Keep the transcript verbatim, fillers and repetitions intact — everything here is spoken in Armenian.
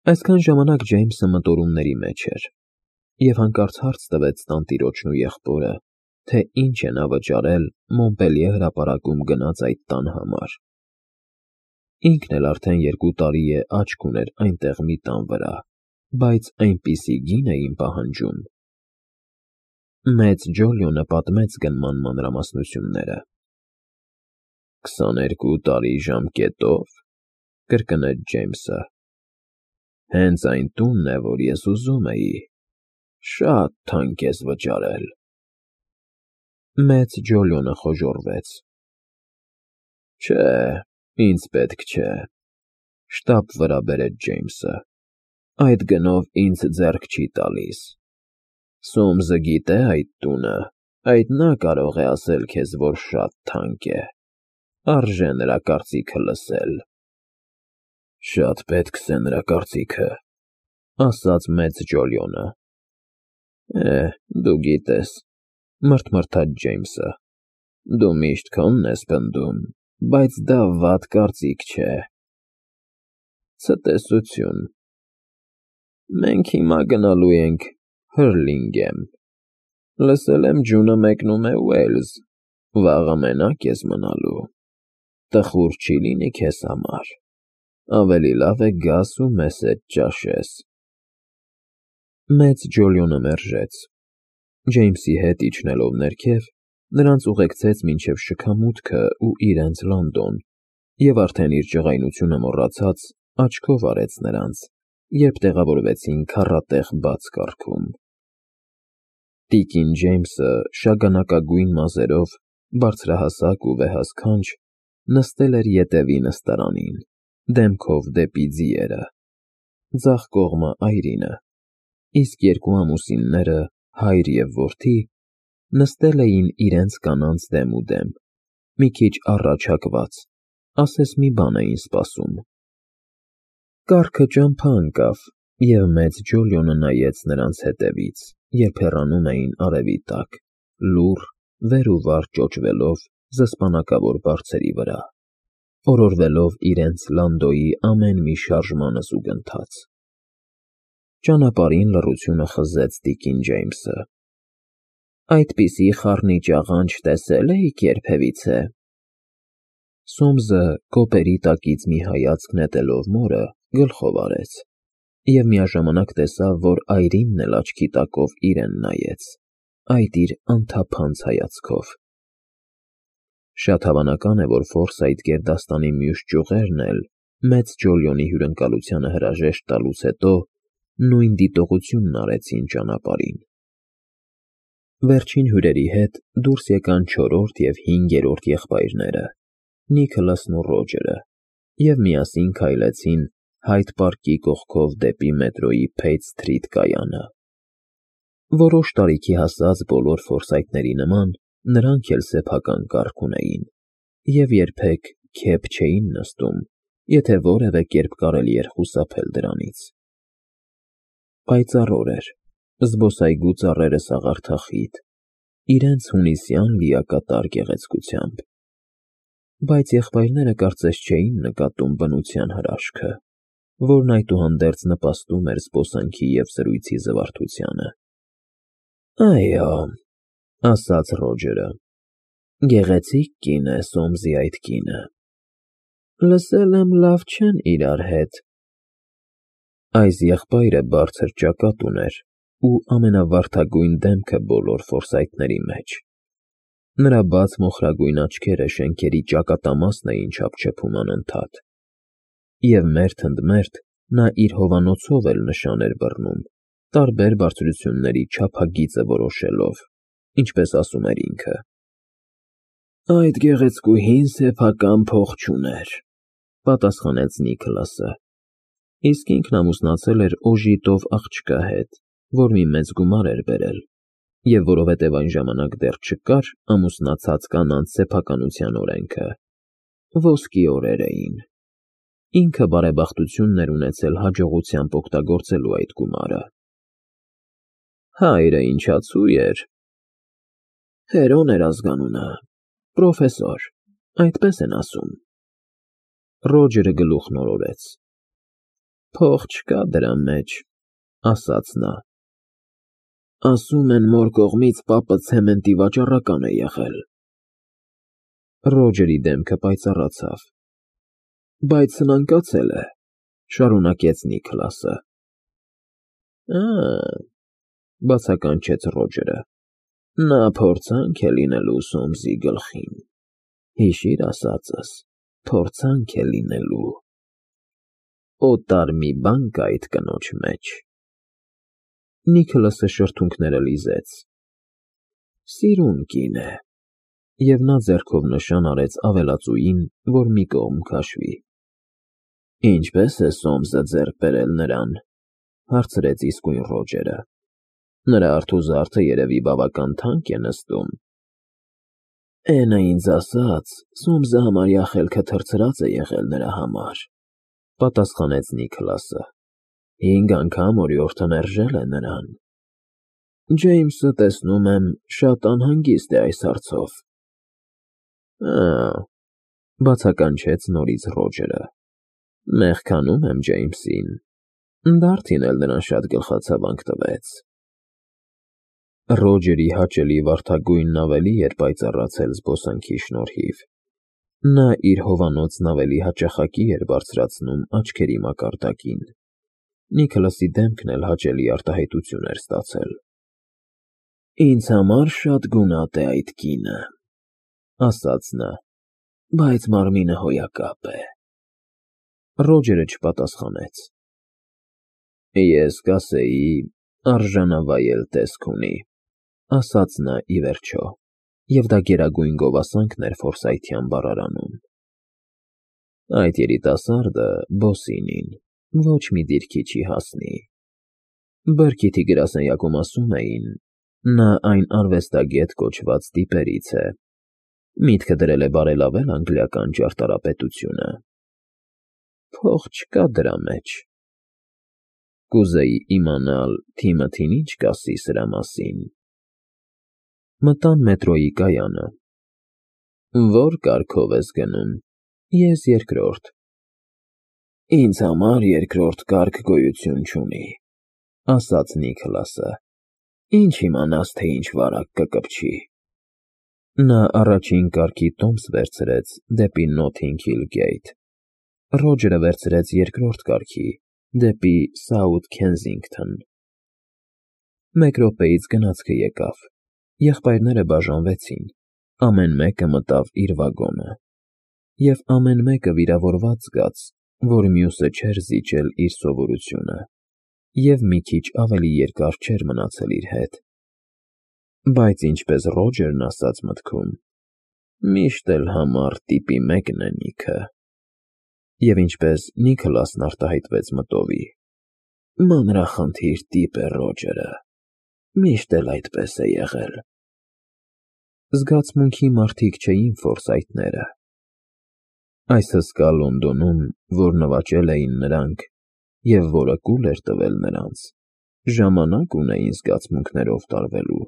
Այսքան ժամանակ Ջեյմսը մտորումների մեջ էր և հանկարծ հարց տվեց տանտիրոջն ու եղբորը, թե ինչ է նա վճարել Մոնպելիե հրապարակում գնած այդ տան համար։ Ինքն էլ արդեն երկու տարի է աչք ուներ այնտեղ մի տան վրա, բայց այնպիսի գին էին պահանջում։ Մեծ Ջոլիոնը պատմեց գնման մանրամասնությունները։ «Քսաներկու տարի ժամկետո՞վ,» կրկնեց Ջեյմսը։ «Հենց այն տունն է, որ ես ուզում էի, շատ թանկ ես վճարել»։ Մեծ Ջոլիոնը խոժոռվեց. «Չէ, ինձ պետք չէ,» շտապ վրա բերեց Ջեյմսը, «այդ գնով ինձ ձեռք չի տալիս։ Սոմսը գիտե՞ այդ տունը, այդ նա կարող է ասել քեզ, որ շատ թանկ է, արժե նրա կարծիքը լսել»։ «Շատ պետքս է նրա կարծիքը,» ասաց մեծ Ջոլիոնը։ «Է, դու գիտես,» մռթմռթաց Ջեյմսը, «դու միշտ քոնն ես պնդում, բայց դա վատ կարծիք չէ։ Ցտեսություն։ Մենք հիմա գնալու ենք Հըրլինգեմ, լսել եմ ջունը մեկնում է Ուելս, վաղը մենակ ես մնալու, տխուր չի լինի քեզ համար, ավելի լավ է գաս ու մեզ հետ ճաշես»։ Մեծ Ջոլիոնը մերժեց։ Ջեյմսի հետ իջնելով ներքև, նրանց ուղեկցեց մինչև շքամուտքը ու իրենց լանդոն, և արդեն իր ջղայնությունը մոռացած, աչքով արեց նրանց, երբ տեղավորվեցին քառատեղ բաց կառքում։ Տիկին Ջեյմսը շագանակագույն մազերով, բարձրահասակ ու վեհասքանչ, նստել էր ետևի նստարանին, դեմքով դեպի ձիերը, ձախ կողմը Այրինը, իսկ երկու ամուսինները, հայր և որդի, նստել էին իրենց կանանց դեմ ու դեմ, մի քիչ առաջ հակված, ասես մի բան էին սպասում։ Կառքը ճամփա ընկավ, և մեծ Ջոլիոնը նայեց նրանց ետևից, երբ հեռանում էին արևի տակ, լուռ, վեր ու վար ճոճվելով զսպանակավոր բարձերի վրա, օրորվելով իրենց լանդոյի ամեն մի շարժմանը զուգընթաց։ Ճանապարհին լռությունը խզեց տիկին Ջեյմսը։ «Այդպիսի խառնիճ աղանջ տեսե՞լ էիք երբևիցե»։ Սոմսը կոպերի տակից մի հայացք նետելով մորը, գլխով արեց և միաժամանակ տեսավ, որ Այրինն էլ աչքի տակով իրեն նայեց, այդ իր անթափանց հայացքով։ Շատ հավանական է, որ Ֆորսայթ գերդաստանի մյուս ճյուղերն էլ, մեծ Ջոլիոնի հյուրընկալությանը հրաժեշտ տալուց հետո, նույն դիտողությունն արեցին ճանապարհին։ Վերջին հյուրերի հետ դուրս եկան չորրորդ և հինգերորդ եղբայրները, Նիքլասն ու Ռոջերը, և միասին քայլեցին Հայդ պարկի կողքով դեպի մետրոյի Փեյթ Սթրիթ կայանը։ Որոշ տարիքի հասած բոլոր ֆորսայթների նման, նրանք էլ սեփական կառք ունեին և երբեք քեփ չէին նստում, եթե որևէ կերպ կարելի էր խուսափել դրանից։ Պայծառ օր էր, զբոսայգու ծառերը սաղարթախիտ, իրենց հունիսյան լիակատար գեղեցկությամբ, բայց եղբայրները կարծես չէին նկատում բնության հրաշքը, որն այդուհանդերձ նպաստում էր զբոսանքի և զրույցի զվարթությանը։ «Այո,» ասաց Ռոջերը, «գեղեցիկ կին է Սոմսի այդ կինը։ Լսել եմ լավ չեն իրար հետ»։ Այս եղբայրը բարձր ճակատ ուներ ու ամենավարդագույն դեմքը բոլոր ֆորսայթների մեջ։ Նրա բաց մոխրագույն աչքերը շենքերի ճակատամասն էին չափչփում անընդհատ, և մերթ ընդ մերթ նա իր հովանոցով էլ նշան էր բռնում, տարբեր բարձրությունների չափագիծը որոշելով, ինչպես ասում էր ինքը։ «Այդ գեղեցկուհին սեփական փող չուներ», պատասխանեց Նիքլասը, իսկ ինքն ամուսնացել էր օժիտով աղջկա հետ, որ մի մեծ գումար էր բերել, և որովհետև այն ժամանակ դեռ չկար ամուսնացած կանանց սեփականության օրենքը, ոսկի օրեր էին, ինքը բարեբախտությունն էր ունեցել հաջողությամբ օգտագործելու այդ գումարը։ Հայրը ինչացու էր։ Հերոն էր ազգանունը, պրոֆեսոր, այդպես են ասում։ Ռոջերը գլուխն օրորեց։ Փող չկա դրա մեջ, ասաց նա։ Ասում են մոր կողմից պապը ցեմենտի վաճառական է եղել։ Ռոջերի դեմքը պայծառացավ։ Բայց սնանկացել է, շարունակեց Նիքլասը։ Ա, բացականչեց Ռոջերը։ Նա փորձանք է լինելու Սոմսի գլխին։ Հիշիր ասածս, փորձանք է լինելու։ Օտար մի բան կա այդ կնոջ մեջ։ Նիքլասը շրթունքները լիզեց։ Սիրուն կին է։ Եվ նա ձեռքով նշան արեց ավելածուին, որ մի կողմ քաշվի։ Ինչպե՞ս է Սոմսը ձեռք բերել նրան, հարցրեց իսկույն Ռոջերը։ Նրա արթուզարդը երևի բավական թանկ է նստում։ Էնը ինձ ասաց, Սոմսը համարյա խելքը թռցրած է եղել նրա համար, պատասխանեց Նիքլասը։ Հինգ անգամ օրիորդը մերժել է նրան։ Ջեյմսը, տեսնում եմ, շատ անհանգիստ է այս հարցով։ Ա, բացականչեց նորից Ռոջերը։ Մեղքանում եմ Ջեյմսին։ Դարդին էլ նրան շատ գլխացավանք տվեց։ Ռոջերի հաճելի վարդագույնն ավելի էր պայծառացել զբոսանքի շնորհիվ։ Նա իր հովանոցն ավելի հաճախակի էր բարձրացնում աչքերի մակարդակին։ Նիքլասի դեմքն էլ հաճելի արտահայտություն էր ստացել։ Ինձ համար շատ գունատ է այդ կինը, ասաց նա, բայց մարմինը հոյակապ է։ Ռոջերը չպատասխանեց։ Ես կասեի, արժանավայել տեսք ունի, ասաց նա ի վերջո, և դա գերագույն գովասանքն էր Ֆորսայթյան բառարանում։ Այդ երիտասարդը Բոսինին ոչ մի դիրքի չի հասնի։ Բրքիթի գրասենյակում ասում էին, նա այն արվեստագետ կոչված տիպերից է, միտքը դրել է բարելավել անգլիական ճարտարապետությունը։ Փող չկա դրա մեջ։ Կուզեի իմանալ Թիմոթին ինչ կասի սրա մասին։ Մտան մետրոյի կայանը։ Ո՞ր կարգով ես գնում։ Ես երկրորդ։ Ինձ համար երկրորդ կարգ գոյություն չունի, ասաց Նիքլասը։ Ինչ իմանաս, թե ինչ վարակ կկպչի։ Նա առաջին կարգի տոմս վերցրեց դեպի Նոթինգ Հիլ գեյթ։ Ռոջերը վերցրեց երկրորդ կարգի, դեպի Սաութ Քենսինգթոն։ Մեկ րոպեից գնացքը եկավ։ Եղբայրները բաժանվեցին, ամեն մեկը մտավ իր վագոնը, և ամեն մեկը վիրավորված զգաց, որ մյուսը չէր զիջել իր սովորությունը, և մի քիչ ավելի երկար չէր մնացել իր հետ։ Բայց ինչպես Ռոջերն ասաց մտքում, միշտ էլ համառ տիպի մեկն է Նիքը։ Եվ ինչպես Նիքլասն արտահայտվեց մտովի, մանրախնդիր տիպ է Ռոջերը, միշտ էլ այդպես է եղել։ Զգացմունքի մարդիկ չէին Ֆորսայթները։ Այս հսկա Լոնդոնում, որ նվաճել էին նրանք, և որը կուլ էր տվել նրանց, ժամանակ ունեին զգացմունքներով տարվելու։